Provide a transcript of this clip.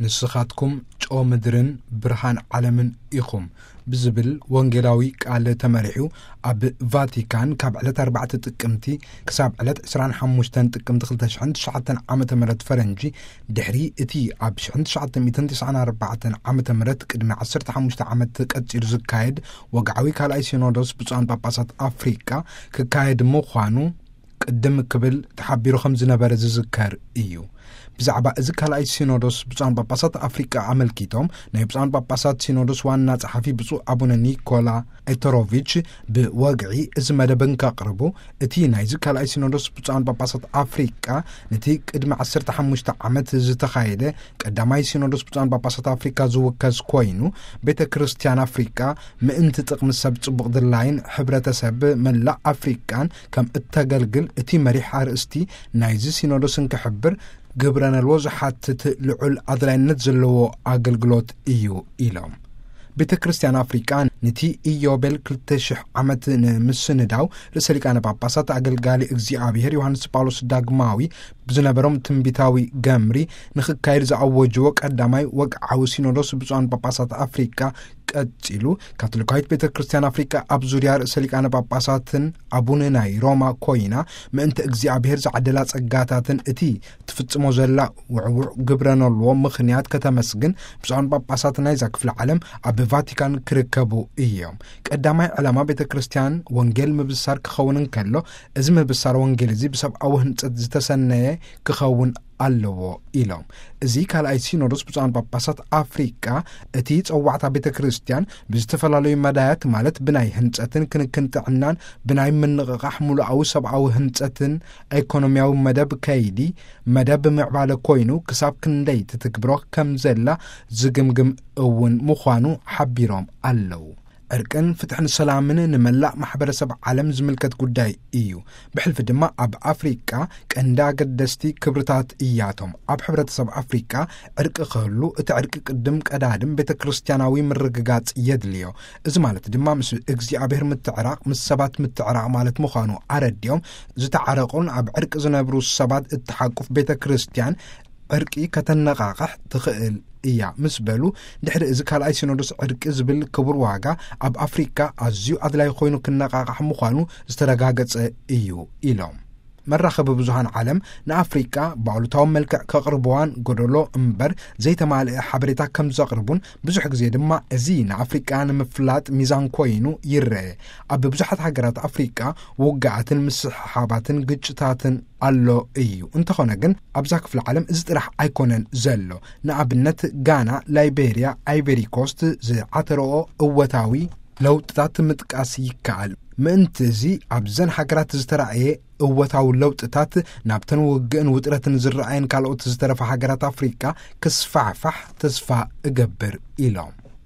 ንስኻትኩም ጨው ምድርን ብርሃን ዓለምን ኢኹም ብዝብል ወንጌላዊ ቃል ተመሪሑ፣ ኣብ ቫቲካን ካብ ዕለት ኣርባዕተ ጥቅምቲ ክሳብ ዕለት ዕስራን ሓሙሽተን ጥቅምቲ ክልተ ሽሕን ትሽዓተን ዓመተ ምህረት ፈረንጂ፣ ድሕሪ እቲ ኣብ ሽሕን ትሽዓተ ሚእትን ትስዓን ኣርባዕተን ዓመተ ምህረት ቅድሚ ዓሰርተ ሓሙሽተ ዓመት ቀጺሉ ዝካየድ ወግዓዊ ካልኣይ ሲኖዶስ ብፁዓን ጳጳሳት ኣፍሪቃ ክካየድ ምዃኑ ቅድም ክብል ተሓቢሩ ከም ዝነበረ ዝዝከር እዩ። ብዛዕባ እዚ ካልኣይ ሲኖዶስ ብፁዓን ጳጳሳት ኣፍሪቃ ኣመልኪቶም፣ ናይ ብፁዓን ጳጳሳት ሲኖዶስ ዋና ጸሓፊ ብፁዕ ኣቡነ ኒኮላ ኤተሮቪች ብወግዒ እዚ መደብ እንከቕርቡ፣ እቲ ናይዚ ካልኣይ ሲኖዶስ ብፁዓን ጳጳሳት ኣፍሪቃ ነቲ ቅድሚ ዓሰርተ ሓሙሽተ ዓመት ዝተኻየደ ቀዳማይ ሲኖዶስ ብፁዓን ጳጳሳት ኣፍሪቃ ዝውከስ ኮይኑ፣ ቤተ ክርስቲያን ኣፍሪቃ ምእንቲ ጥቕሚ ሰብ ጽቡቕ ድላይን ሕብረተሰብ መላእ ኣፍሪቃን ከም እተገልግል እቲ መሪሕ ኣርእስቲ ናይዚ ሲኖዶስ እንክሕብር፣ ግብረ ነልዎ ዝሓትት ልዑል ኣድላይነት ዘለዎ ኣገልግሎት እዩ ኢሎም። ቤተ ክርስቲያን ኣፍሪቃ ነቲ ኢዮቤል ክልተ ሽሕ ዓመት ንምስንዳው፣ ርእሰ ሊቃነ ጳጳሳት ኣገልጋሊ እግዚኣብሔር ዮሃንስ ጳውሎስ ዳግማዊ ብዝነበሮም ትንቢታዊ ገምሪ ንኽካየድ ዝኣወጅዎ ቀዳማይ ወግዓዊ ሲኖዶስ ብፁዓን ጳጳሳት ኣፍሪቃ ቀጺሉ፣ ካቶሊካዊት ቤተ ክርስቲያን ኣፍሪቃ ኣብ ዙርያ ርእሰ ሊቃነ ጳጳሳትን ኣቡነ ናይ ሮማ ኮይና፣ ምእንቲ እግዚኣብሔር ዝዓደላ ጸጋታትን እቲ ትፍጽሞ ዘላ ውዕውዕ ግብረ ነልዎ ምኽንያት ከተመስግን፣ ብፁዓን ጳጳሳት ናይዛ ክፍለ ዓለም ኣብ ቫቲካን ክርከቡ እዮም። ቀዳማይ ዕላማ ቤተ ክርስቲያን ወንጌል ምብሳር ክኸውን እንከሎ፣ እዚ ምብሳር ወንጌል እዚ ብሰብኣዊ ህንጸት ዝተሰነየ ክኸውን ኣለዎ ኢሎም። እዚ ካልኣይ ሲኖዶስ ብፁዓን ጳጳሳት ኣፍሪቃ፣ እቲ ጸዋዕታ ቤተ ክርስቲያን ብዝተፈላለዩ መዳያት፣ ማለት ብናይ ህንጸትን ክንክን ጥዕናን፣ ብናይ ምንቕቓሕ ምሉኣዊ ሰብኣዊ ህንጸትን ኢኮኖሚያዊ መደብ ከይዲ፣ መደብ ምዕባለ ኮይኑ፣ ክሳብ ክንደይ ትትግብሮ ከም ዘላ ዝግምግም እውን ምዃኑ ሓቢሮም ኣለዉ። ዕርቅን ፍትሕን ሰላምን ንመላእ ማሕበረሰብ ዓለም ዝምልከት ጉዳይ እዩ። ብሕልፊ ድማ ኣብ ኣፍሪቃ ቀንዲ ኣገደስቲ ክብርታት እያቶም። ኣብ ሕብረተሰብ ኣፍሪቃ ዕርቂ ክህሉ፣ እቲ ዕርቂ ቅድም ቀዳድም ቤተ ክርስቲያናዊ ምርግጋጽ የድልዮ። እዚ ማለት ድማ ምስ እግዚኣብሔር ምትዕራቕ፣ ምስ ሰባት ምትዕራቕ ማለት ምዃኑ ኣረዲኦም፣ ዝተዓረቑን ኣብ ዕርቂ ዝነብሩ ሰባት እትሓቁፍ ቤተ ክርስቲያን ዕርቂ ከተነቓቕሕ ትኽእል እያ ምስ በሉ፣ ድሕሪ እዚ ካልኣይ ሲኖዶስ ዕርቂ ዝብል ክቡር ዋጋ ኣብ ኣፍሪካ ኣዝዩ ኣድላይ ኮይኑ ክነቓቕሕ ምዃኑ ዝተረጋገጸ እዩ ኢሎም። መራኸቢ ብዙሃን ዓለም ንኣፍሪካ ብኣሉታዊ መልክዕ ከቕርብዋን ጎደሎ እምበር ዘይተማልአ ሓበሬታ ከም ዘቕርቡን፣ ብዙሕ ግዜ ድማ እዚ ንኣፍሪካ ንምፍላጥ ሚዛን ኮይኑ ይረአ። ኣብ ብዙሓት ሃገራት ኣፍሪካ ውግኣትን ምስሕሓባትን ግጭታትን ኣሎ እዩ። እንተኾነ ግን ኣብዛ ክፍለ ዓለም እዚ ጥራሕ ኣይኮነን ዘሎ። ንኣብነት ጋና፣ ላይቤርያ፣ ኣይቨሪ ኮስት ዝዓተረኦ እወታዊ ለውጥታት ምጥቃስ ይከኣል። ምእንቲ እዚ ኣብዘን ሃገራት ዝተራእየ እወታዊ ለውጥታት ናብተን ውግእን ውጥረትን ዝረኣየን ካልኦት ዝተረፋ ሃገራት ኣፍሪቃ ክስፋሕፋሕ ተስፋ እገብር ኢሎም።